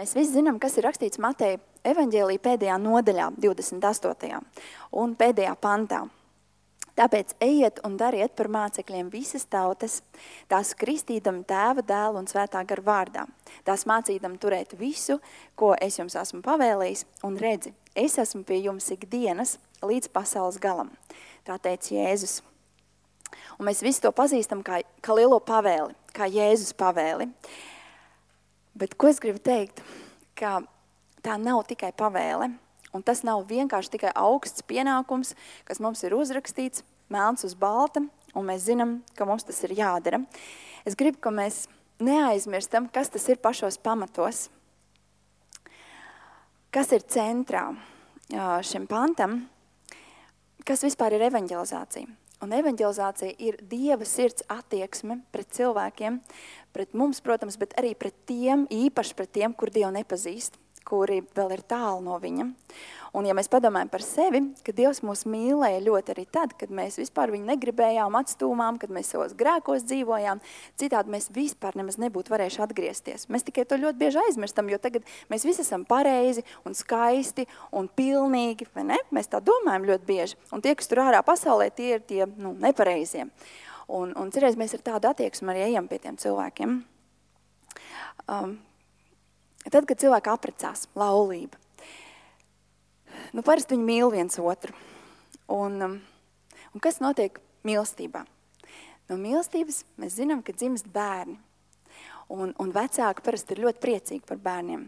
Mēs visi zinām, kas ir rakstīts Mateja evaņģēlī pēdējā nodaļā, 28. un pēdējā pantā. Tāpēc ejiet un dariet par mācekļiem visas tautas, tās kristīdam Tēva, Dēla un Svētā gara vārdā. Tās mācīdam turēt visu, ko es jums esmu pavēlējis, un redzi, es esmu pie jums ikdienas līdz pasaules galam. Tā teica Jēzus. Un mēs visi to pazīstam kā lielo pavēli, kā Jēzus pavēli. Bet ko es gribu teikt, ka tā nav tikai pavēle, un tas nav vienkārši tikai augsts pienākums, kas mums ir uzrakstīts, melns uz balta, un mēs zinām, ka mums tas ir jādara. Es gribu, ka mēs neaizmirstam, kas tas ir pašos pamatos, kas ir centrā šim pantam, kas vispār ir evaņģelizācija. Un evaņģelizācija ir Dieva sirds attieksme pret cilvēkiem, pret mums, protams, bet arī pret tiem, īpaši pret tiem, kur Dievu nepazīst, kuri vēl ir tālu no viņa. Un ja mēs padomājam par sevi, ka Dievs mūs mīlēja ļoti arī tad, kad mēs vispār viņu negribējām, atstūmām, kad mēs savos grēkos dzīvojām, citādi mēs vispār nemaz nebūtu varējuši atgriezties. Mēs tikai to ļoti bieži aizmirstam, jo tagad mēs visi esam pareizi un skaisti un pilnīgi, vai ne? Mēs tā domājam ļoti bieži. Un tie, kas tur ārā pasaulē, tie ir tie nepareizie. Un cerēs mēs ar tādu attieksmi arī ejam pie tiem cilvēkiem. Tad, kad cilvēki apprecās, laulība, parasti viņi mīl viens otru. Un kas notiek mīlestībā? No mīlestības mēs zinām, ka dzimst bērni. Un vecāki parasti ir ļoti priecīgi par bērniem.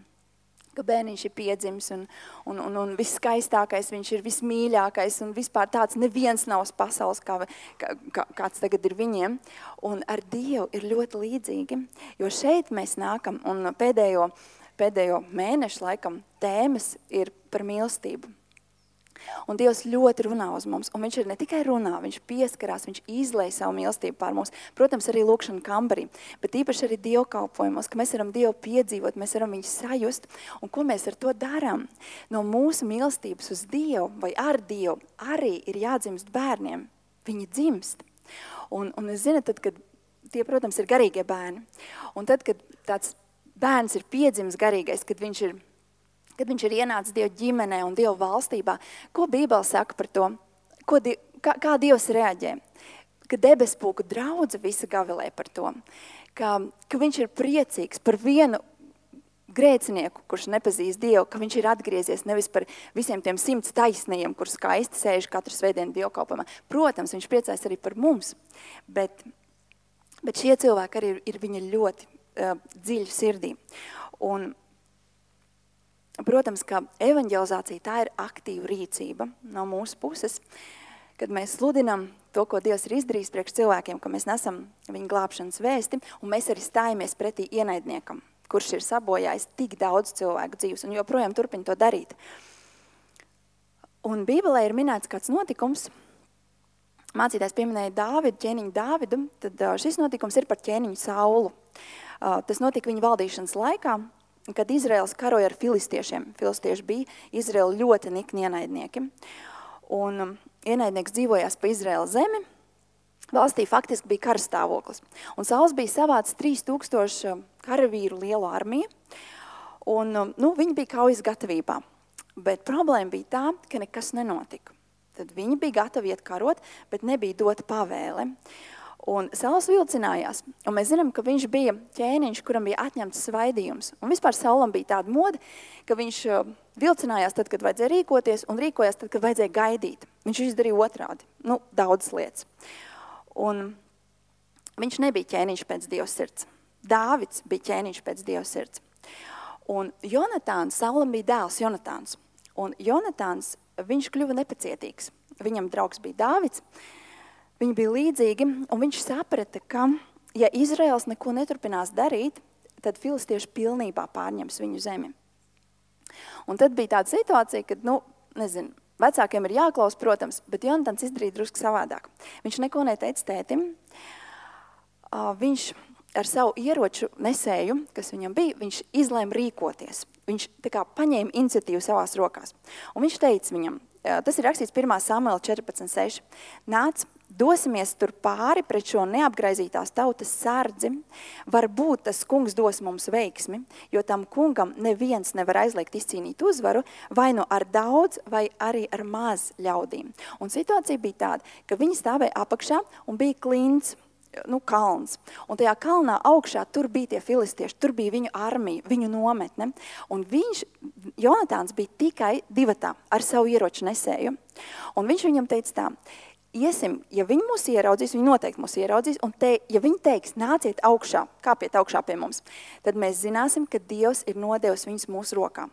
Ka bērniņš ir piedzimis un viskaistākais, viņš ir vismīļākais un vispār tāds neviens nav uz pasaules, kāds tagad ir viņiem. Un ar Dievu ir ļoti līdzīgi, jo šeit mēs nākam un pēdējo mēnešu laikam tēmas ir par mīlestību. Un Dievs ļoti runā uz mums, un viņš ir ne tikai runā, viņš pieskarās, viņš izlej savu mīlestību pār mums. Protams, arī lūkšana kambarī, bet īpaši arī dievkalpojumos, ka mēs varam Dievu piedzīvot, mēs varam viņu sajust, un ko mēs ar to darām? No mūsu mīlestības uz Dievu vai ar Dievu arī ir jādzimst bērniem. Viņi dzimst. Un es zinu, tad, kad tie, protams, ir garīgie bērni, un tad, kad tāds bērns ir piedzimis garīgais, kad viņš ir ienācis Dievu ģimenē un Dievu valstībā, ko Bībele saka par to? Kā Dievs reaģē? Ka debespulku draudze visa gavilē par to. Ka viņš ir priecīgs par vienu grēcinieku, kurš nepazīst Dievu, ka viņš ir atgriezies nevis par visiem tiem 100 taisnajiem, kur skaisti sēž katru svētdienu dievkalpojumā. Protams, viņš priecājas arī par mums, bet šie cilvēki arī ir viņa ļoti dziļi sirdī. Un, protams, ka evaņģelizācija tā ir aktīva rīcība no mūsu puses, kad mēs sludinam to, ko Dievs ir izdarījis priekš cilvēkiem, ka mēs nesam viņa glābšanas vēsti, un mēs arī stājamies pretī ienaidniekam, kurš ir sabojājis tik daudz cilvēku dzīves, un joprojām turpina to darīt. Un Bībelē ir minēts kāds notikums, mācītājs pieminēja Dāvidu, ķēniņu Dāvidu, tad šis notikums ir par ķēniņu Saulu. Tas notika viņa valdīšanas laikā, kad Izraels karoja ar filistiešiem. Filistieši bija Izraela ļoti nikni ienaidnieki. Un ienaidnieks dzīvojās pa Izraela zemi. Valstī faktiski bija karstāvoklis. Un Sauls bija savācis 3000 karavīru lielu armiju. Un viņi bija kaujas gatavībā. Bet problēma bija tā, ka nekas nenotika. Tad viņi bija gatavi iet karot, bet nebija dota pavēle. Un Sauls vilcinājās, un mēs zinām, ka viņš bija ķēniņš, kuram bija atņemts svaidījums. Un vispār Saulam bija tāda moda, ka viņš vilcinājās tad, kad vajadzēja rīkoties, un rīkojās tad, kad vajadzēja gaidīt. Viņš izdarīja otrādi, daudzas lietas. Un viņš nebija ķēniņš pēc Dieva sirds. Dāvids bija ķēniņš pēc Dieva sirds. Un Jonatāns, Saulam bija dēls Jonatāns. Un Jonatāns, viņš kļuva nepacietīgs. Viņam draugs bija Dāvids. Viņi bija līdzīgi, un viņš saprata, ka, ja Izraels neko neturpinās darīt, tad filistieši pilnībā pārņems viņu zemi. Un tad bija tāda situācija, kad, vecākiem ir jāklaus, protams, bet Jonatans izdarīja drusku savādāk. Viņš neko neteica tētim. Viņš ar savu ieroču nesēju, kas viņam bija, viņš izlēma rīkoties. Viņš tā kā paņēma iniciatīvu savās rokās. Un viņš teica viņam, tas ir rakstīts 1. Samuela 14.6. Nāc, dosimies tur pāri pret šo neapgraizītās tautas sardzi, varbūt tas kungs dos mums veiksmi, jo tam kungam neviens nevar aizliegt izcīnīt uzvaru, vai nu ar daudz, vai arī ar maz ļaudīm. Un situācija bija tāda, ka viņi stāvēja apakšā un bija klints, kalns. Un tajā kalnā augšā tur bija tie filistieši, tur bija viņu armija, viņu nometne. Un Jonatāns bija tikai divatā ar savu ieroču nesēju. Un viņš viņam teica tā, iesim, ja viņi mūs ieraudzīs, viņi noteikti mūs ieraudzīs, un ja viņi teiks, nāciet augšā, kāpiet augšā pie mums, tad mēs zināsim, ka Dievs ir nodevis viņus mūsu rokā.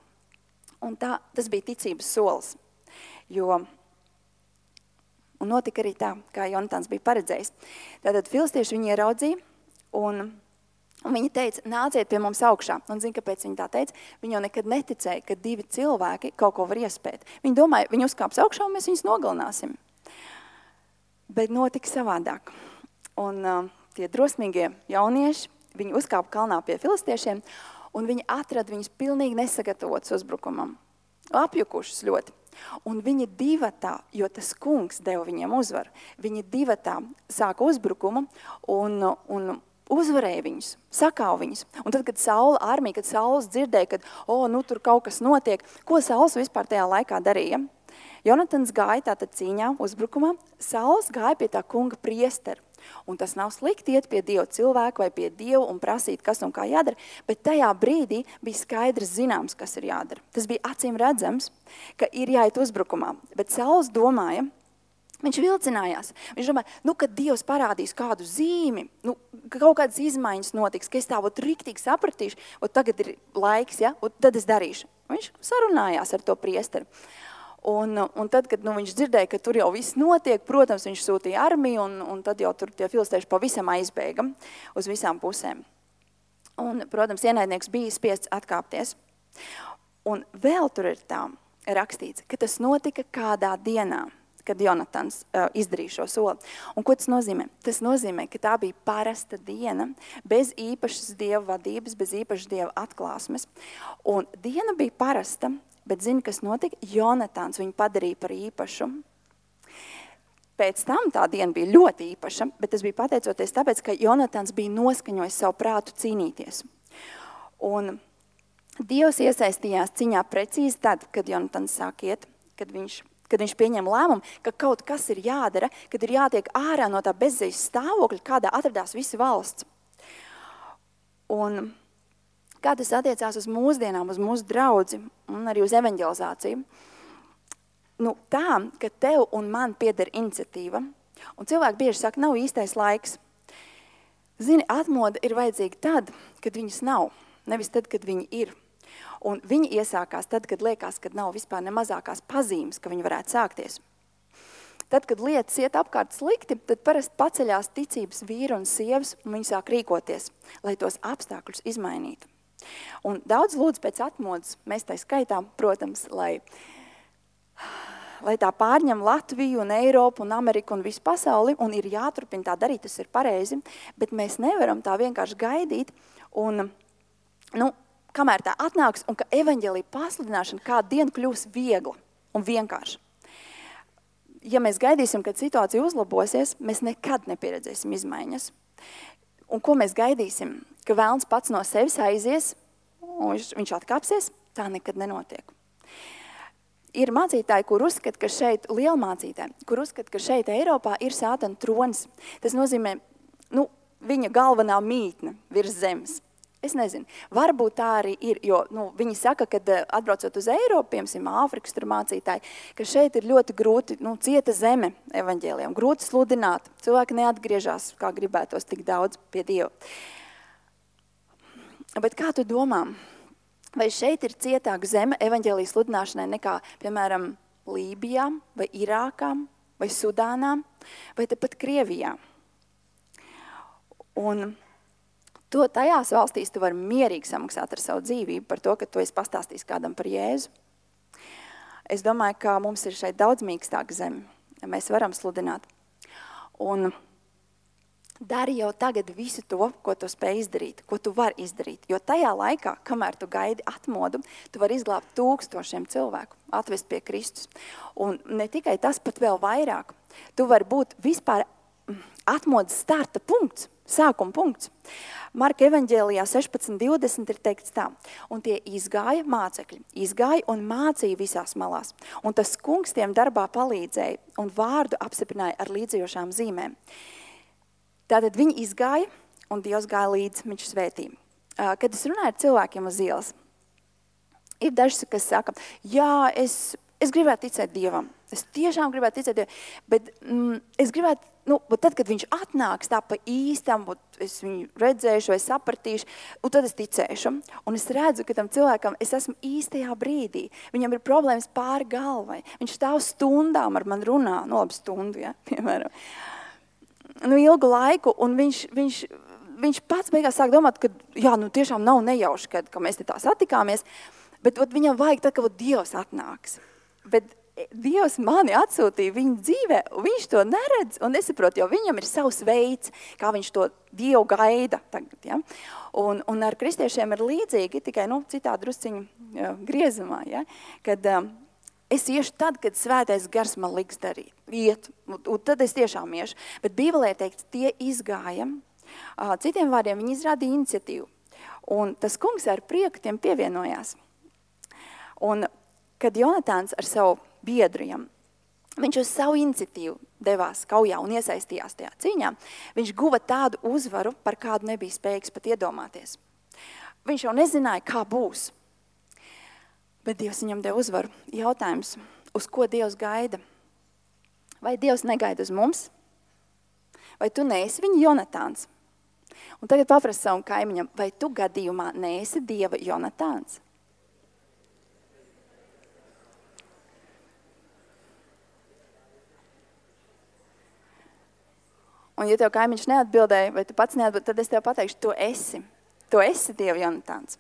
Un tas bija ticības solis, un notika arī tā, kā Jonatāns bija paredzējis. Tātad filistieši viņu ieraudzīja, un viņi teica, nāciet pie mums augšā. Un zini, kāpēc viņi tā teica? Viņi jau nekad neticēja, ka divi cilvēki kaut ko var iespēt. Viņi domāja, viņi uzkāps augšā un mēs viņus nogalināsim. Bet notika savādāk. Un tie drosmīgie jaunieši, viņi uzkāpa kalnā pie filistiešiem, un viņi atrada viņus pilnīgi nesagatavotus uzbrukumam. Apjukušus ļoti. Un viņi divatā, jo tas kungs deva viņiem uzvaru, viņi divatā sāka uzbrukumu un uzvarēja viņus, sakāva viņus. Un tad, kad Saula armija, kad Sauls dzirdēja, ka tur kaut kas notiek, ko Sauls vispār tajā laikā darīja? Jonatans gāja tātad cīņā, uzbrukumā, Sauls gāja pie tā kunga priesteru. Un tas nav slikti iet pie Dieva cilvēku vai pie Dievu un prasīt, kas un kā jādara, bet tajā brīdī bija skaidrs zināms, kas ir jādara. Tas bija acīm redzams, ka ir jāiet uzbrukumā, bet Sauls domāja, viņš vilcinājās. Viņš domāja, kad Dievs parādīs kādu zīmi, kaut kādas izmaiņas notiks, ka es tā riktīgi sapratīšu, tagad ir laiks, ja, tad es darīšu. Viņš sarunājās ar to priesteru. Un tad, kad viņš dzirdēja, ka tur jau viss notiek, protams, viņš sūtīja armiju, un tad jau tur tie filistieši pavisam aizbēga uz visām pusēm. Un, protams, ienaidnieks bija spiests atkāpties. Un vēl tur ir tā rakstīts, ka tas notika kādā dienā, kad Jonatans izdarīja šo soli. Un ko tas nozīmē? Tas nozīmē, ka tā bija parasta diena, bez īpašas Dieva vadības, bez īpašas Dieva atklāsmes. Un diena bija parasta, bet zini, kas notika? Jonatāns viņu padarīja par īpašu. Pēc tam tā diena bija ļoti īpaša, bet tas bija pateicoties tāpēc, ka Jonatāns bija noskaņojis savu prātu cīnīties. Un Dievs iesaistījās ciņā precīzi tad, kad Jonatāns sāk iet, kad viņš pieņem lēmumu, ka kaut kas ir jādara, kad ir jātiek ārā no tā bezzejas stāvokļa, kādā atradās visa valsts. Un kā tas attiecās uz mūsdienām, uz mūsu draudzi un arī uz evanģelizāciju? Tā, ka tev un man pieder iniciatīva, un cilvēki bieži saka, nav īstais laiks. Zini, atmoda ir vajadzīga tad, kad viņas nav, nevis tad, kad viņi ir. Un viņi iesākās tad, kad liekas, kad nav vispār ne mazākās pazīmes, ka viņi varētu sākties. Tad, kad lietas iet apkārt slikti, tad parasti paceļās ticības vīri un sievas, un viņi sāk rīkoties, lai tos apstākļus izmainītu. Un daudz lūdz pēc atmodas, mēs tai skaitām, protams, lai tā pārņem Latviju un Eiropu un Ameriku un visu pasauli, un ir jāturpina tā darīt, tas ir pareizi, bet mēs nevaram tā vienkārši gaidīt, un, kamēr tā atnāks, un ka evaņģēlija pasludināšana kādu dienu kļūs viegla un vienkārši. Ja mēs gaidīsim, kad situācija uzlabosies, mēs nekad nepieredzēsim izmaiņas. Un ko mēs gaidīsim? Ka vēlns pats no sevis aizies, un viņš atkāpsies, tā nekad nenotiek. Ir mācītāji, kur uzskata, ka šeit, lielmācītāji, kur uzskata, ka šeit Eiropā ir Sātana tronis. Tas nozīmē, viņa galvenā mītne virs zemes. Es nezinu, varbūt tā arī ir, jo viņi saka, kad atbraucot uz Eiropu, piemēram, Āfrikas tur mācītāji, ka šeit ir ļoti grūti, cieta zeme evaņģēlijam, grūti sludināt. Cilvēki neatgriežās, kā gribētos, tik daudz pie Dieva. Bet kā tu domā, vai šeit ir cietāka zeme evaņģēlijas sludināšanai nekā, piemēram, Lībijā, vai Irākā, vai Sudānā, vai tepat Krievijā? Un tajās valstīs tu vari mierīgi samaksāt ar savu dzīvību par to, ka tu esi pastāstījis kādam par Jēzu. Es domāju, ka mums ir šeit daudz mīkstāka zeme, ja mēs varam sludināt. Un dari jau tagad visu to, ko tu spēj izdarīt, ko tu vari izdarīt. Jo tajā laikā, kamēr tu gaidi atmodu, tu vari izglābt 1000 cilvēku, atvest pie Kristus. Un ne tikai tas, pat vēl vairāk. Tu vari būt vispār atmodas starta punkts, sākuma punkts. Marka evaņģēlijā 16:20 ir teikts tā, un tie izgāja mācekļi, izgāja un mācīja visās malās, un tas kungs tiem darbā palīdzēja un vārdu apstiprināja ar līdzējošām zīmēm. Tātad viņi izgāja, un Dievs gāja līdzi, viņš svētīja. Kad es runāju ar cilvēkiem uz ielas, ir daži, kas saka, jā, es gribētu ticēt Dievam, es tiešām gribētu ticēt Dievam, bet es gribētu, tad, kad viņš atnāks tā pa īstam, es viņu redzēšu vai sapratīšu, un tad es ticēšu. Un es redzu, ka tam cilvēkam es esmu īstajā brīdī. Viņam ir problēmas pāri galvai. Viņš stāv stundām ar man runā, labi stundu, ja, piemēram. Ilgu laiku, un viņš pats beigās sāk domāt, ka jā, tiešām nav nejauši, ka mēs te tā satikāmies, bet viņam vajag tad, ka Dievs atnāks. Bet Dievs mani atsūtīja viņa dzīvē, un viņš to neredz un nesaprot, jo viņam ir savs veids, kā viņš to Dievu gaida tagad. Ja? Un ar kristiešiem ir līdzīgi, tikai citā drusciņu griezumā, ja? Kad es iešu tad, kad svētais gars man liks darīt. Iet, un tad es tiešām iešu. Bet Bībelē teikts, tie izgāja. Citiem vārdiem viņi izrādīja iniciatīvu. Un tas kungs ar prieku tiem pievienojās. Un kad Jonatāns ar savu biedriem, viņš uz savu iniciatīvu devās kaujā un iesaistījās tajā cīņā, viņš guva tādu uzvaru, par kādu nebija spējīgs pat iedomāties. Viņš jau nezināja, kā būs, bet Dievs viņam deva uzvaru. Jautājums, uz ko Dievs gaida? Vai Dievs negaida uz mums? Vai tu neesi viņa Jonatāns? Un tagad paprasti savam kaimiņam, vai tu gadījumā neesi Dieva Jonatāns? Un ja tev kaimiņš neatbildēja, vai tu pats neatbildēji, tad es tev pateikšu, tu esi Dieva Jonatāns.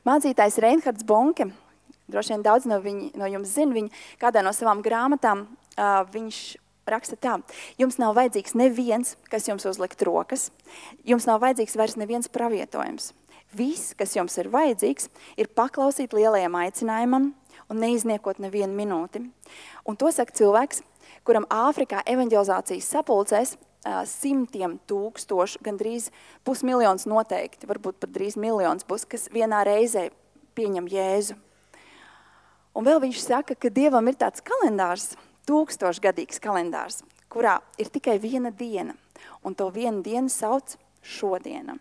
Mācītājs Reinhards Bonke, droši vien daudz no jums zina, viņa kādā no savām grāmatām, viņš raksta tā, jums nav vajadzīgs neviens, kas jums uzlikt rokas, jums nav vajadzīgs vairs neviens pravietojums. Viss, kas jums ir vajadzīgs, ir paklausīt lielajam aicinājumam un neizniekot nevienu minūti. Un to saka cilvēks, kuram Āfrikā evanģelizācijas sapulcēs 100,000, gandrīz 500,000 noteikti, varbūt pat drīz miljons būs, kas vienā reizē pieņem Jēzu. Un vēl viņš saka, ka Dievam ir tāds kalendārs, 1000-gadīgs kalendārs, kurā ir tikai viena diena, un to vienu dienu sauc šodiena.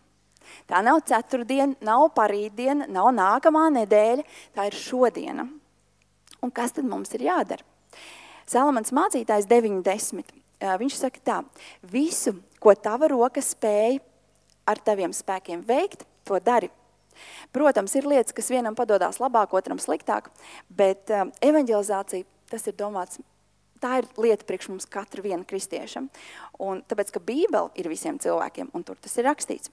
Tā nav ceturtdiena, nav parītdiena, nav nākamā nedēļa, tā ir šodiena. Un kas tad mums ir jādara? Salamans mācītājs 9:10. Viņš saka tā, visu, ko tava roka spēj ar taviem spēkiem veikt, to dari. Protams, ir lietas, kas vienam padodās labāk, otram sliktāk, bet evanģelizācija, tas ir domāts, tā ir lieta priekš mums katra viena kristiešam. Un tāpēc, ka Bībele ir visiem cilvēkiem, un tur tas ir rakstīts.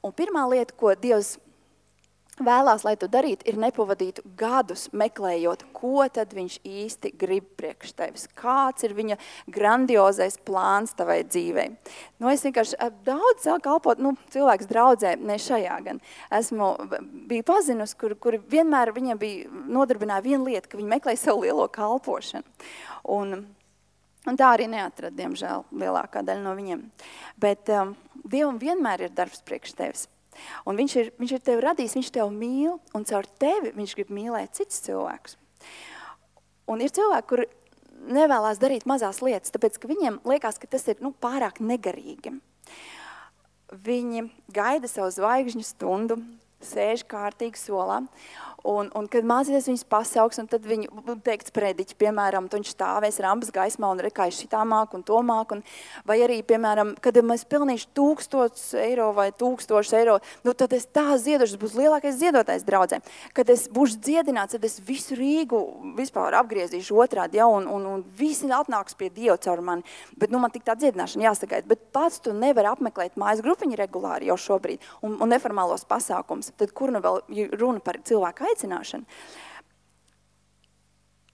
Un pirmā lieta, ko Dievs vēlās, lai tu darītu, ir nepavadītu gadus meklējot, ko tad viņš īsti grib priekš tevis. Kāds ir viņa grandiozais plāns tavai dzīvei. Es vienkārši daudz sāku kalpot, cilvēks draudzē, ne šajā gan. Biju pazinusi, kuri vienmēr viņiem bija nodarbināja vienu lietu, ka viņi meklēja savu lielo kalpošanu. Un tā arī neatrada, diemžēl, lielākā daļa no viņiem. Bet Dievam vienmēr ir darbs priekš tevis. Un viņš ir tevi radījis, viņš tevi mīl, un caur tevi viņš grib mīlēt cits cilvēkus. Un ir cilvēki, kuri nevēlās darīt mazās lietas, tāpēc, ka viņiem liekas, ka tas ir pārāk negarīgi. Viņi gaida savu zvaigžņu stundu, sēž kārtīgi solā, un kad mācīties viņus pasauks, un tad viņu teikts prediķi, piemēram, viņš stāvēs rampas gaismā un rekājas šitā māk un to māk, vai arī, piemēram, kad mēs pelnīšu 1000 eiro vai 1000 eiro, tad es tā ziedošu, tas būs lielākais ziedotājs draudzē. Kad es būšu dziedināts, tad es visu Rīgu vispār apgriezīšu otrādi, ja, un visi atnāks pie Dieva caur mani. Bet man tik tā dziedināšana jāsagaida. Bet pats tu nevari apmeklēt mājas grupiņu regulāri jau šobrīd un neformālos pasākums. Tad kur vēl runa par cilvēku aicināšanu?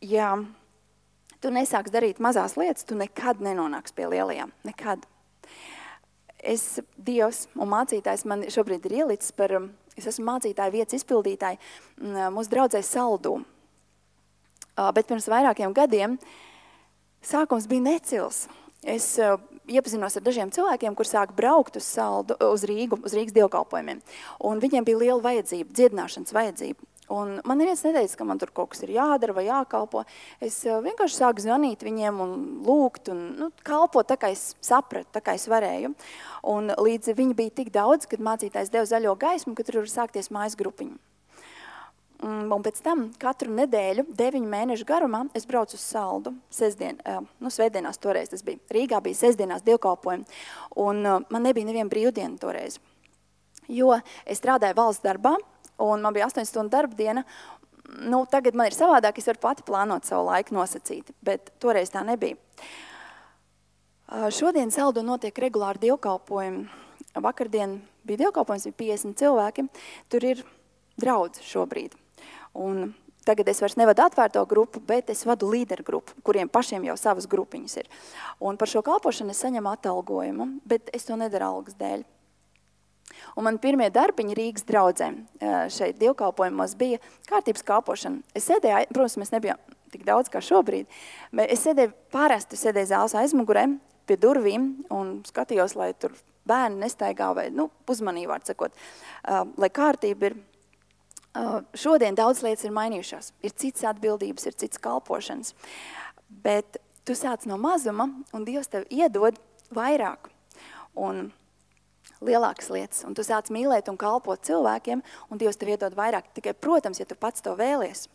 Ja tu nesāks darīt mazās lietas, tu nekad nenonāks pie lielajām. Nekad. Dievs un mācītājs man šobrīd ir ielicis es esmu mācītāja vietas izpildītāji mūsu draudzē Saldū. Bet pirms vairākiem gadiem sākums bija necils. Es iepazinos ar dažiem cilvēkiem, kur sāk braukt uz Rīgu, uz Rīgas dievkalpojumiem. Un viņiem bija liela vajadzība, dziedināšanas vajadzība. Un man neviens neteica, ka man tur kaut kas ir jādara vai jākalpo. Es vienkārši sāku zvanīt viņiem un lūgt un kalpot tā, kā es sapratu, tā, kā es varēju. Un līdz viņi bija tik daudz, kad mācītājs deva zaļo gaismu, ka tur var sākties mājas grupiņu. Un pēc tam katru nedēļu, 9 mēnešu garumā, es braucu uz Saldu, svētdienās toreiz tas bija. Rīgā bija sestdienās dievkalpojumi, un man nebija neviena brīvdiena toreiz. Jo es strādāju valsts darbā, un man bija 8 stundu darba diena. Tagad man ir savādāk, es varu pati plānot savu laiku nosacīti, bet toreiz tā nebija. Šodien Saldu notiek regulāri dievkalpojumi. Vakardien bija dievkalpojums, bija 50 cilvēki. Tur ir draudze šobrīd. Un tagad es vairs nevadu atvērto grupu, bet es vadu līderu grupu, kuriem pašiem jau savas grupiņas ir. Un par šo kalpošanu es saņemu atalgojumu, bet es to nedaru algas dēļ. Un man pirmie darbiņi Rīgas draudzē šeit dievkalpojumos bija kārtības kalpošana. Es sēdēju, protams, mēs nebijām tik daudz kā šobrīd, bet es sēdēju zāles aizmugurē pie durvīm un skatījos, lai tur bērni nestaigā vai, uzmanīgi vārds sakot, lai kārtība ir. Šodien daudz lietas ir mainījušās. Ir cits atbildības, ir cits kalpošanas. Bet tu sāc no mazuma, un Dievs tev iedod vairāk un lielākas lietas. Un tu sāc mīlēt un kalpot cilvēkiem, un Dievs tev iedod vairāk. Tikai, protams, ja tu pats to vēlies.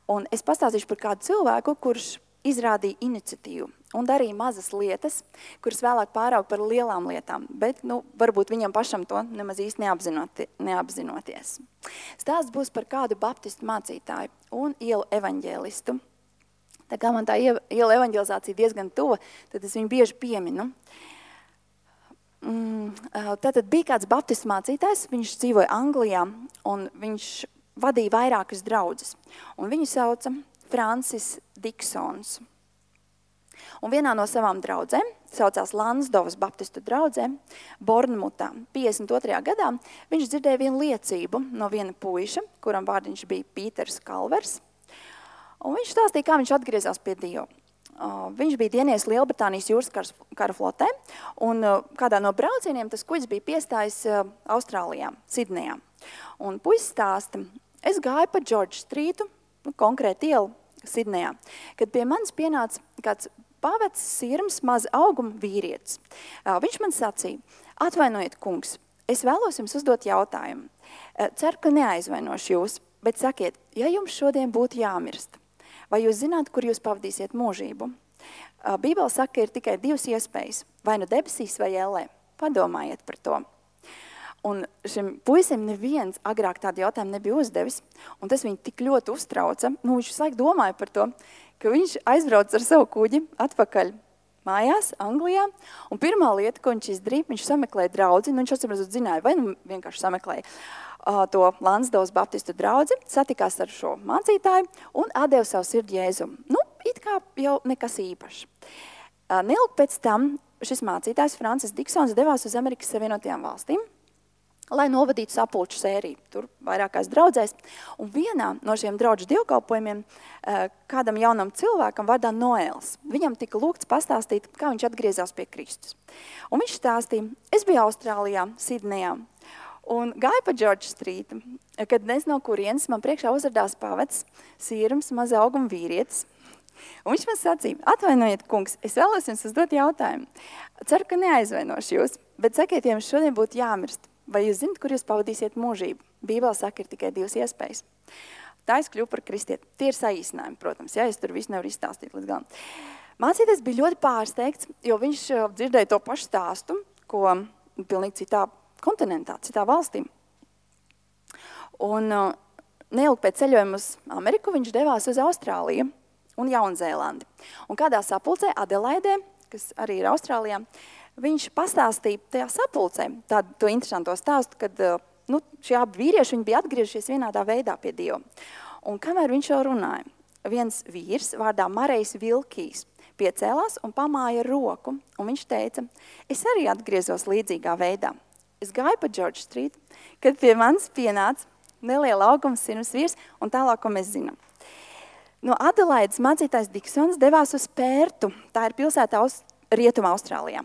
Un es pastāstīšu par kādu cilvēku, kurš izrādīja iniciatīvu un darīja mazas lietas, kuras vēlāk pāraug par lielām lietām, bet varbūt viņam pašam to nemaz īsti neapzinoties. Stāsts būs par kādu baptistu mācītāju un ielu evaņģēlistu. Tā kā man tā ielu evaņģelizācija diezgan tuva, tad es viņu bieži pieminu. Tātad bija kāds baptistu mācītājs, viņš dzīvoja Anglijā, un viņš vadīja vairākas draudzes. Un viņu sauca Francis Diksons. Un vienā no savām draudzēm, saucās Lansdovas baptistu draudzē, Bornmutā, 52. gadā, viņš dzirdēja vienu liecību no viena puiša, kuram vārdiņš bija Pīters Kalvers. Un viņš stāstīja, kā viņš atgriezās pie Dieva. Viņš bija dienies Lielbritānijas jūras kara flotē, un kādā no braucieniem tas kuģis bija piestājis Austrālijā, Sidnejā. Un puisis stāsta, es gāju pa George Streetu, konkrēti ielu Sidnejā, kad pie manis pienāca kāds pavecs, sirms, maza auguma vīrietis. Viņš man sacīja, atvainojiet, kungs, es vēlos jums uzdot jautājumu. Ceru, ka neaizvainošu jūs, bet sakiet, ja jums šodien būtu jāmirst, vai jūs zināt, kur jūs pavadīsiet mūžību? Bībele saka, ka ir tikai 2 iespējas, vai nu debesīs vai ellē. Padomājiet par to. Un šim puisim neviens agrāk tādu jautājumu nebija uzdevis, un tas viņu tik ļoti uztrauca. Viņš visu laiku domāja par to, ka viņš aizbrauc ar savu kuģi atpakaļ mājās, Anglijā, un pirmā lieta, ko viņš izdarīja, viņš sameklēja draudzi, viņš atsimredzot zināja, vai vienkārši sameklēja to Lansdovas baptistu draudzi, satikās ar šo mācītāju un atdeva savu sirdi Jēzum. It kā jau nekas īpašs. Neilgi pēc tam šis mācītājs Francis Diksons devās uz Amerikas Savienotajām valstīm, lai novadītu sapulču sēriju, tur vairākās draudzēs. Un vienā no šiem draudžu dievkalpojumiem kādam jaunam cilvēkam vārdā Noēls. Viņam tika lūgts pastāstīt, kā viņš atgriezās pie Kristus. Un viņš stāstīja, es biju Austrālijā, Sidnejā, un gāju pa George Streetu, kad nezinu no kurienes man priekšā uzradās pavecs, sirms, maza auguma vīrietis. Un viņš man sacīja, atvainojiet, kungs, es vēlos jums uzdot jautājumu. Ceru, ka neaizvainošu jūs, bet sakiet, ja jums šodien būtu jāmirst, vai jūs zināt, kur jūs pavadīsiet mūžību? Bībele saka, ir tikai 2 iespējas. Tā es kļuvu par kristieti. Tie ir saīsinājumi, protams, es tur visu nevaru izstāstīt līdz galam. Mācītājs bija ļoti pārsteigts, jo viņš dzirdēja to pašu stāstu, ko pilnīgi citā kontinentā, citā valstī. Un neilgi pēc ceļojuma uz Ameriku viņš devās uz Austrāliju un Jaunzēlandi. Un kādā sapulcē Adelaidē, kas arī ir Austrālijā, viņš pastāstīja tajā sapulcē to interesanto stāstu, kad šie abi vīrieši viņi bija atgriežies vienādā veidā pie Dieva. Un kamēr viņš jau runāja, viens vīrs vārdā Marejs Vilkijs piecēlās un pamāja roku, un viņš teica, es arī atgriezos līdzīgā veidā. Es gāju pa George Street, kad pie manis pienāca neliela auguma sirms vīrs, un tālāk, ko mēs zinām. No Adelaides mācītājs Diksons devās uz Pērtu, tā ir pilsēta Rietuma Austrālijā.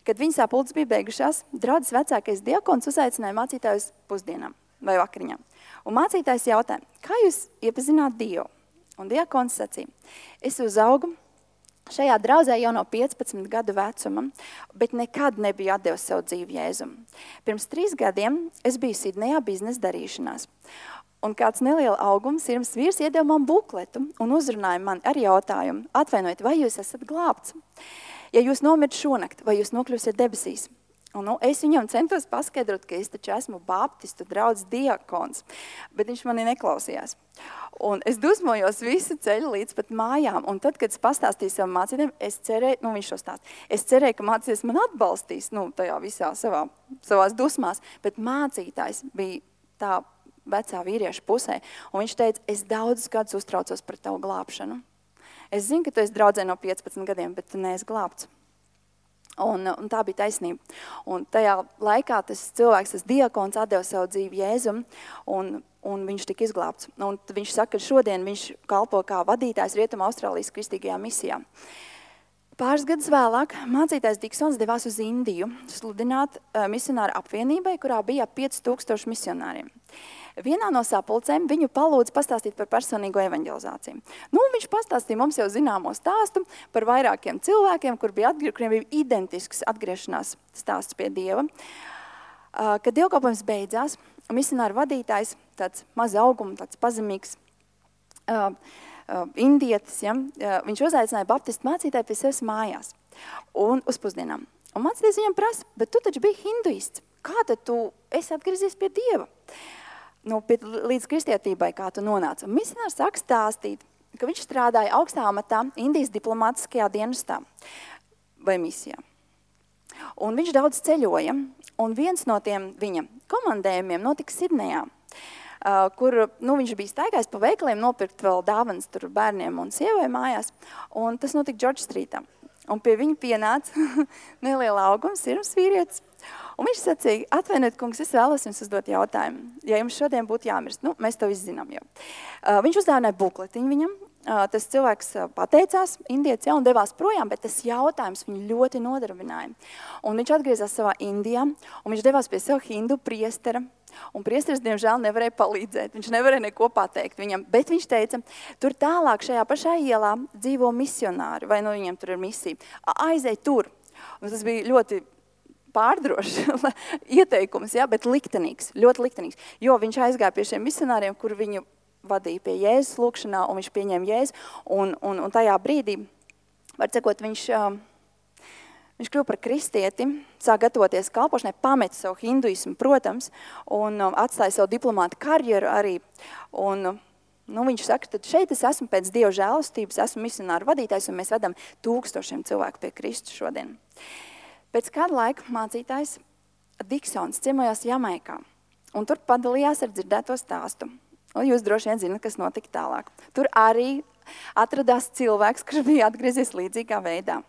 Kad viņa sapulces bija beigušās, draudzes vecākais diakons uzaicināja mācītājus pusdienām vai vakariņām. Un mācītājs jautāja, kā jūs iepazināt Dievu? Un diakons sacīja, es uzaugu šajā draudzē jau no 15 gadu vecuma, bet nekad nebiju atdevis savu dzīvi Jēzum. Pirms 3 gadiem es biju Sidnejā biznesa darīšanās. Un kāds neliela augums sirds vīrs iedeva man bukletu un uzrunāja man ar jautājumu, atvainojiet, vai jūs esat glābts? Ja jūs nomirt šonakt, vai jūs nokļūsiet debesīs? Un, es viņam centos paskaidrot, ka es taču esmu baptistu draudzes diakons, bet viņš mani neklausījās. Un es dusmojos visu ceļu līdz pat mājām, un tad, kad es pastāstīju savam mācītājiem, es cerēju, viņš šo stāst, es cerēju, ka mācītājs man atbalstīs, tajā visā savās dusmās, bet mācītājs bija tā vecā vīrieša pusē, un viņš teica, es daudzus gadus uztraucos par tavu glābšanu. Es zinu, ka tu esi draudzē no 15 gadiem, bet tu neesi glābts. Un tā bija taisnība. Un tajā laikā tas cilvēks, tas diakons, atdeva savu dzīvi Jēzum, un viņš tika izglābts. Un viņš saka, ka šodien viņš kalpo kā vadītājs Rietuma Austrālijas kristīgajā misijā. Pāris gadus vēlāk mācītājs Diksons devās uz Indiju sludināt misionāru apvienībai, kurā bija 5000 misionāriem. Vienā no sapulcēm viņu palūdza pastāstīt par personīgo evanģelizāciju. Viņš pastāstīja mums jau zināmo stāstu par vairākiem cilvēkiem, kuriem bija identisks atgriešanās stāsts pie Dieva. Kad dievkalpojums beidzās, misionāru vadītājs, tāds maza auguma, tāds pazemīgs indietis, viņš uzaicināja baptistu mācītāju pie sevis mājās un uz pusdienām. Un mācītājs viņam prasa, bet tu taču biji hinduists, kā tad tu esi atgriezies pie Dieva? Līdz kristietībai, kā tu nonāci. Un misionārs sāk stāstīt, ka viņš strādāja augstā amatā Indijas diplomātiskajā dienestā vai misijā. Un viņš daudz ceļoja, un viens no tiem viņa komandējumiem notika Sidnejā, kur viņš bija staigājis pa veikaliem nopirkt vēl dāvanas tur bērniem un sievai mājās, un tas notika George Streetā. Un pie viņa pienāca neliela auguma sirds vīrietis. Un viņš sacīja, atvainojiet, kungs, es vēlos jums uzdot jautājumu. Ja jums šodien būtu jāmirst, mēs to visu zinām jau. Viņš uzdāvināja bukletiņu viņam. Tas cilvēks pateicās indietis un devās projām, bet tas jautājums viņu ļoti nodarbināja. Un viņš atgriezās savā Indijā, un viņš devās pie sev hindu priestera. Un priesteris, diemžēl, nevarēja palīdzēt. Viņš nevarēja neko pateikt viņam, bet viņš teica, tur tālāk šajā pašā ielā dzīvo misionāri, vai viņiem tur ir misija. Aizej tur. Un tas bija ļoti pārdrošs ieteikums, bet liktenīgs, ļoti liktenīgs. Jo viņš aizgāja pie šiem misionāriem, kur viņu vadīja pie Jēzus lūkšanā, un viņš pieņēma Jēzu. Un tajā brīdī, var cikot, viņš kļuva par kristieti, sāk gatavoties kalpošanai, pameta savu hinduismu, protams, un atstāja savu diplomātu karjeru arī. Un viņš saka, tad šeit es esmu pēc Dieva žēlastības, esmu misionāru vadītājs, un mēs vedam 1000 cilvēku pie Kristus šodien. Pēc kāda laika mācītājs Diksons ciemojās Jamaikā, un tur padalījās ar dzirdēto stāstu. Un jūs droši vien zināt, kas notika tālāk. Tur arī atradās cilvēks, kurš bija atgriezies līdzīgā veidā.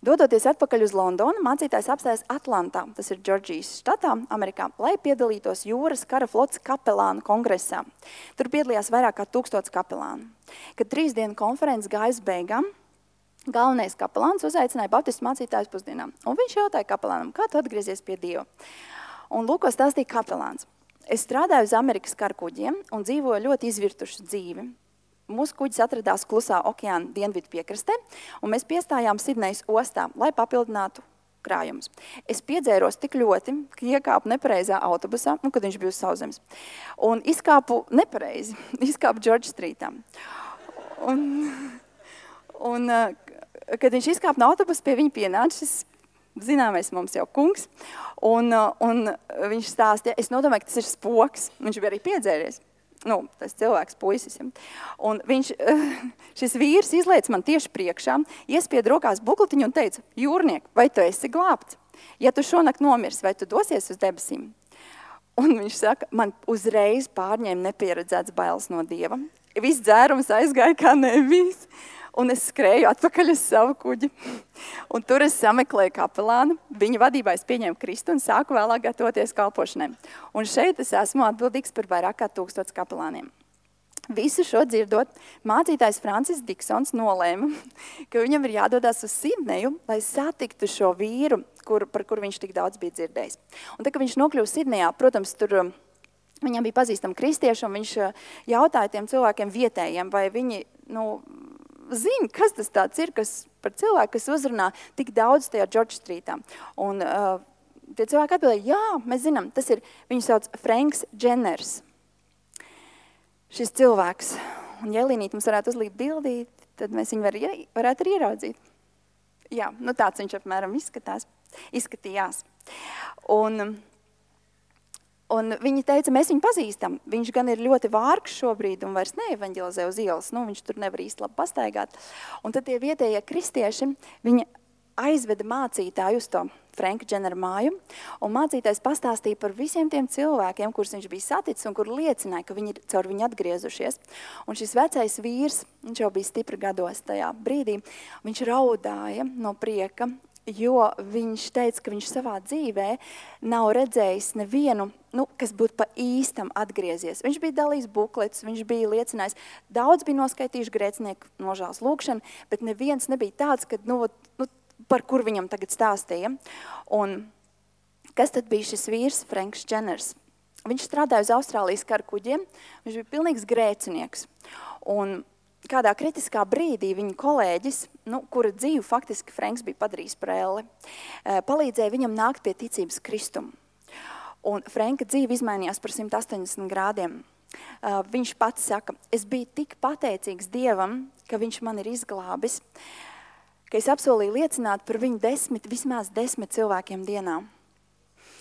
Dodoties atpakaļ uz Londonu, mācītājs apstājas Atlantā, tas ir Džordžijas štatā, Amerikā, lai piedalītos jūras kara flotes kapelānu kongresā. Tur piedalījās vairāk kā 1000 kapelānu. Kad 3 dienu konferences gāja uz beigām, galvenais kapelāns uzaicināja baptistu mācītājus pusdienām. Un viņš jautāja kapelānam, kā tu atgriezies pie Dieva? Un lūko stāstīja kapelāns. Es strādāju uz Amerikas karkuģiem un dzīvoju ļoti izvirtušu dzīvi. Mūsu kuģis atradās Klusā okeāna dienvidu piekrastē, un mēs piestājām Sidnejas ostā, lai papildinātu krājumus. Es piedzēros tik ļoti, ka iekāpu nepareizā autobusā, kad viņš bija uz sauszemes, un izkāpu nepareizi, izkāpu George Streetā. Un kad viņš izkāpa no autobusa, pie viņa pienāca šis zināmais mums jau kungs, un viņš stāstīja, es nodomāju, ka tas ir spoks, viņš bija arī piedzēries. Tas cilvēks, puisis. Un šis vīrs izlaica man tieši priekšā, iespied rokās bukletiņu un teica, jūrniek, vai tu esi glābts? Ja tu šonakt nomirs, vai tu dosies uz debesīm? Un viņš saka, man uzreiz pārņēma nepieredzēts bailes no Dieva. Viss dzērums aizgāja kā nebijis. Un es skrēju atpakaļ uz savu kuģi. Un tur es sameklēju kapelānu, viņa vadībā es pieņēmu Kristu un sāku vēlāk gatavoties kalpošanai. Un šeit es esmu atbildīgs par vairāk kā 1000 kapelāniem. Visu šo dzirdot, mācītājs Francis Diksons nolēma, ka viņam ir jādodas uz Sidneju, lai satiktu šo vīru, par kuru viņš tik daudz bija dzirdējis. Un tā, kad viņš nokļuva Sidnejā, protams, tur viņam bija pazīstami kristieši, un viņš jautāja tiem cilvēkiem vietējiem, vai viņi, zina, kas tas tāds ir, kas par cilvēku, kas uzrunā tik daudz tajā George Streetā. Un tie cilvēki atbildēja, jā, mēs zinām, tas ir, viņu sauc Franks Jenners. Šis cilvēks, un ja Elīnīt mums varētu uzlīt bildīt, tad mēs viņu varētu arī ieraudzīt. Jā, tāds viņš apmēram izskatījās. Un viņi teica, mēs viņu pazīstam. Viņš gan ir ļoti vārgs šobrīd un vairs neevaņģelizē uz ielas. Viņš tur nevar īsti labi pastaigāt. Un tad tie vietējie kristieši, viņi aizveda mācītāju uz to Franka Jennera māju, un mācītājs pastāstīja par visiem tiem cilvēkiem, kurus viņš bija saticis un kur liecināja, ka viņi ir caur viņu atgriezušies. Un šis vecais vīrs, viņš jau bija stipri gados tajā brīdī, viņš raudāja no prieka, jo viņš teica, ka viņš savā dzīvē nav redzējis nevienu, kas būtu pa īstam atgriezies. Viņš bija dalījis bukletus, viņš bija liecinājis, daudz bija noskaitījuši grēcinieku nožēlas lūgšanu, bet neviens nebija tāds, kad, par kur viņam tagad stāstīja. Un kas tad bija šis vīrs, Franks Jenners? Viņš strādāja uz Austrālijas kara kuģiem, viņš bija pilnīgs grēcinieks. Un kādā kritiskā brīdī viņa kolēģis, kura dzīvi faktiski Franks bija padarījis par elli, palīdzēja viņam nākt pie ticības Kristumu. Un Franka dzīve izmainījās par 180 grādiem. Viņš pats saka, es biju tik pateicīgs Dievam, ka viņš man ir izglābis, ka es apsolīju liecināt par viņu vismaz 10 cilvēkiem dienā.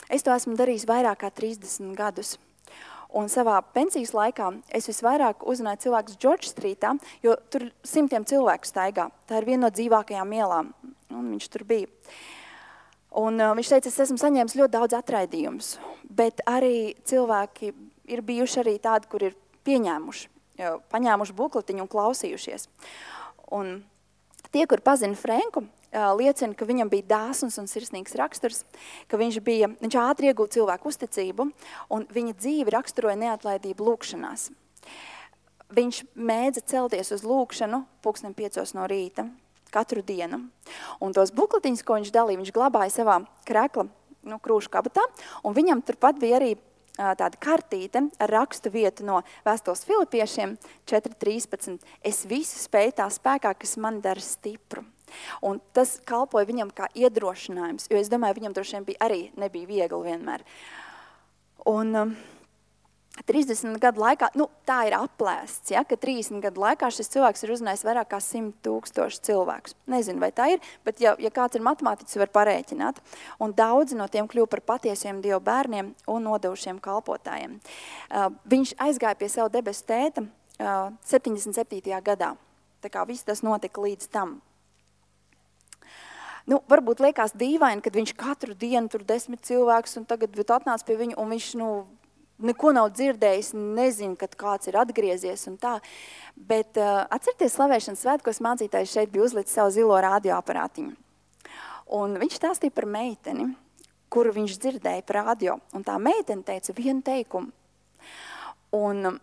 Es to esmu darījis vairāk kā 30 gadus. Un savā pensijas laikā es visvairāk uzrunāju cilvēkus George Streetā, jo tur 100 cilvēku staigā. Tā ir viena no dzīvākajām ielām, un viņš tur bija. Un viņš teica, es esmu saņēmis ļoti daudz atraidījumus, bet arī cilvēki ir bijuši arī tādi, kur ir paņēmuši bukletiņu un klausījušies. Un tie, kur pazina Franku, liecina, ka viņam bija dāsns un sirsnīgs raksturs, ka viņš ātri iegūta cilvēku uzticību, un viņa dzīvi raksturoja neatlaidību lūkšanās. Viņš mēdza celties uz lūkšanu 5:00 no rīta, katru dienu. Un tos bukletiņus, ko viņš dalīja, viņš glabāja savā krekla krūšu kabatā, un viņam turpat bija arī tāda kartīte ar rakstu vietu no vēstules Filipiešiem 4.13. Es visu spēju tā spēkā, kas man dara stipru. Un tas kalpoja viņam kā iedrošinājums, jo es domāju, viņam droši vien arī nebija viegli vienmēr. Un 30 gadu laikā, tā ir aplēsts, ja, ka 30 gadu laikā šis cilvēks ir uzrunājis vairāk kā 100,000 cilvēkus. Nezinu, vai tā ir, bet ja kāds ir matemātiķis, var parēķināt. Un daudzi no tiem kļuva par patiesiem Dievu bērniem un nodevušiem kalpotājiem. Viņš aizgāja pie savu debesu tēta 77. gadā. Tā kā viss tas notika līdz tam. Varbūt liekas dīvaini, kad viņš katru dienu tur 10 cilvēkus un tagad atnāca pie viņu un viņš, neko nav dzirdējis, nezinu, kad kāds ir atgriezies un tā. Bet atcerieties slavēšanas svētkos mācītājs šeit bija uzlicis savu zilo radioaparātiņu. Un viņš stāstīja par meiteni, kuru viņš dzirdēja par radio. Un tā meitene teica vienu teikumu. Un,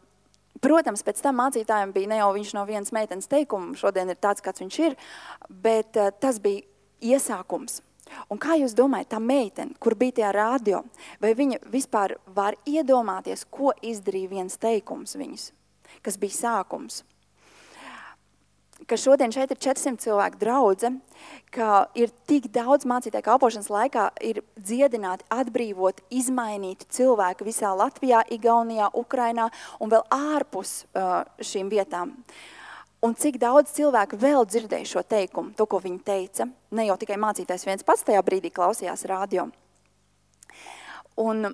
protams, pēc tam mācītājiem bija ne jau viņš no vienas meitenes teikumu, šodien ir tāds, kāds viņš ir, bet tas bija iesākums. Un kā jūs domājat, tā meitene, kur bija tajā radio, vai viņa vispār var iedomāties, ko izdarīja viens teikums viņas, kas bija sākums? Ka šodien šeit ir 400 cilvēku draudze, ka ir tik daudz mācītāju kalpošanas laikā ir dziedināti, atbrīvoti, izmainīti cilvēki visā Latvijā, Igaunijā, Ukrainā un vēl ārpus šīm vietām. Un cik daudz cilvēku vēl dzirdēja šo teikumu, to, ko viņi teica. Ne jau tikai mācītājs viens pats tajā brīdī klausījās radio. Un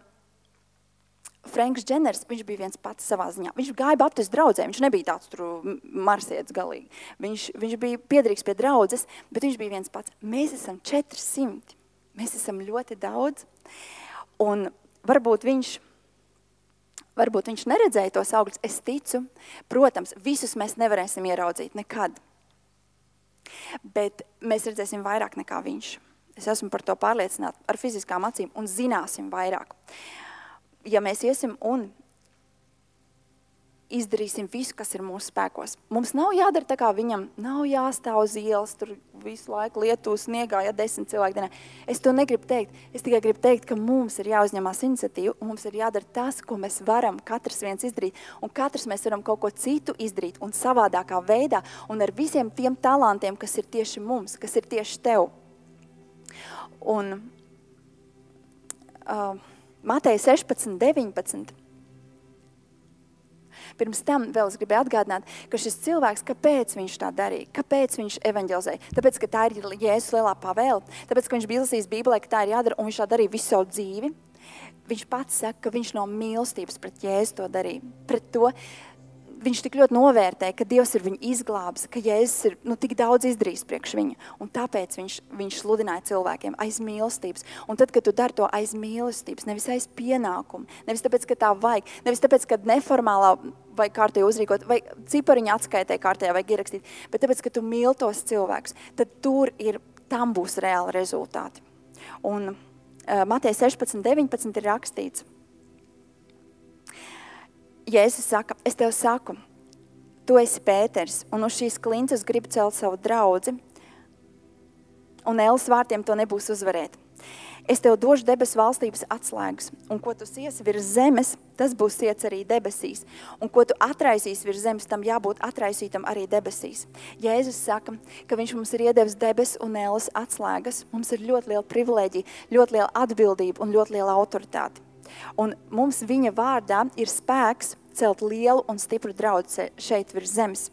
Franks Jenners, viņš bija viens pats savā ziņā. Viņš gāja baptistu draudzē, viņš nebija tāds tur marsietis galīgi. Viņš bija piederīgs pie draudzes, bet viņš bija viens pats. Mēs esam 400, mēs esam ļoti daudz. Un varbūt viņš neredzēja tos augļus, es ticu. Protams, visus mēs nevarēsim ieraudzīt nekad. Bet mēs redzēsim vairāk nekā viņš. Es esmu par to pārliecināta ar fiziskām acīm un zināsim vairāk. Ja mēs iesim un izdarīsim visu, kas ir mūsu spēkos. Mums nav jādara tā kā viņam, nav jāstāv uz ielas, tur visu laiku lietu sniegā, 10 cilvēku dienā. Es to negribu teikt. Es tikai gribu teikt, ka mums ir jāuzņemās iniciatīva, un mums ir jādara tas, ko mēs varam katrs viens izdarīt, un katrs mēs varam kaut ko citu izdarīt, un savādākā veidā, un ar visiem tiem talantiem, kas ir tieši mums, kas ir tieši tev. Un Mateja 16:19. Pirms tam vēl es gribēju atgādināt, ka šis cilvēks, kāpēc viņš tā darīja, kāpēc viņš evaņģelizēja? Tāpēc, ka tā ir Jēzus lielā pavēle, tāpēc, ka viņš bija lasījis Bībelē, ka tā ir jādara, un viņš tā darīja visu savu dzīvi. Viņš pats saka, ka viņš no mīlestības pret Jēzu to darīja. Pret to viņš tik ļoti novērtēja, ka Dievs ir viņu izglābis, ka Jēzus ir tik daudz izdarījis priekš viņa. Un tāpēc viņš sludināja cilvēkiem aiz mīlestības. Un tad, kad tu dari to aiz mīlestības, nevis aiz pienākumu, nevis tāpēc, ka tā vajag, nevis tāpēc, ka neformālā vai kārtēji uzrīkot, vai cipariņa atskaitē kārtējā vajag ierakstīt, bet tāpēc, ka tu mīli tos cilvēkus, tad tam būs reāli rezultāti. Un Mateja 16:19 ir rakstīts. Jēzus saka, es tev saku, tu esi Pēters, un uz šīs klinces gribu celt savu draudzi, un ēles vārtiem to nebūs uzvarēt. Es tev došu debesu valstības atslēgas, un ko tu siesi virs zemes, tas būs siets arī debesīs, un ko tu atraisīsi virs zemes, tam jābūt atraisītam arī debesīs. Jēzus saka, ka viņš mums ir iedevis debesu un ēles atslēgas, mums ir ļoti liela privilēģija, ļoti liela atbildība un ļoti liela autoritāte. Un mums viņa vārdā ir spēks celt lielu un stipru draudzi šeit virs zemes.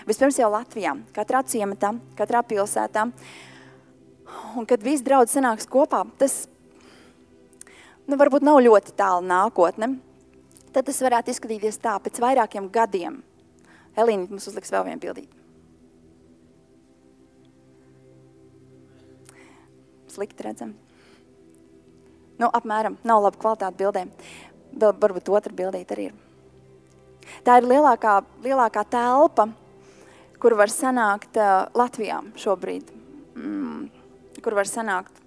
Vispirms jau Latvijā, katrā ciematā, katrā pilsētā. Un kad visi draudzi sanāks kopā, tas varbūt nav ļoti tālu nākotne. Tad tas varētu izskatīties tā, pēc vairākiem gadiem. Elīna mums uzliks vēl vienu bildīt. Slikti redzam. Apmēram, nav laba kvalitāte bildēm. Vēl varbūt otra bildīt arī ir. Tā ir lielākā telpa, kur var sanākt Latvijā šobrīd. Kur var sanākt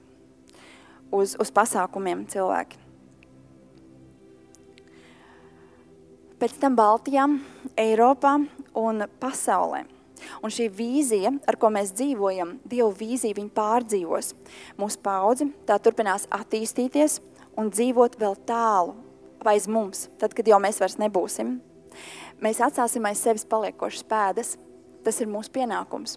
uz pasākumiem cilvēki. Pēc tam Baltijā, Eiropā un pasaulē. Un šī vīzija, ar ko mēs dzīvojam, Dieva vīzija, viņa pārdzīvos. Mūsu paudzi tā turpinās attīstīties un dzīvot vēl tālu aiz mums, tad, kad jau mēs vairs nebūsim. Mēs atstāsim aiz sevis paliekošas pēdas. Tas ir mūsu pienākums.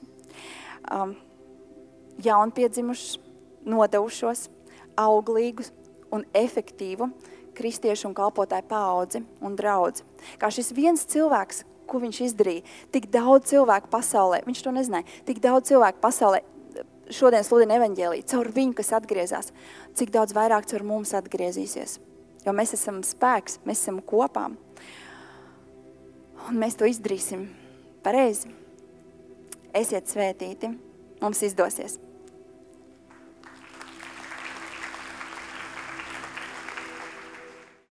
Jaunpiedzimušus, nodevušos, auglīgus un efektīvu kristiešu un kalpotāju paudzi un draudzi. Kā šis viens cilvēks, ko viņš izdarīja, tik daudz cilvēku pasaulē, viņš to nezināja, tik daudz cilvēku pasaulē šodien sludina evaņģēliju, caur viņu, kas atgriezās, cik daudz vairāk caur mums atgriezīsies. Jo mēs esam spēks, mēs esam kopā. Un mēs to izdarīsim pareizi. Esiet svētīti, mums izdosies.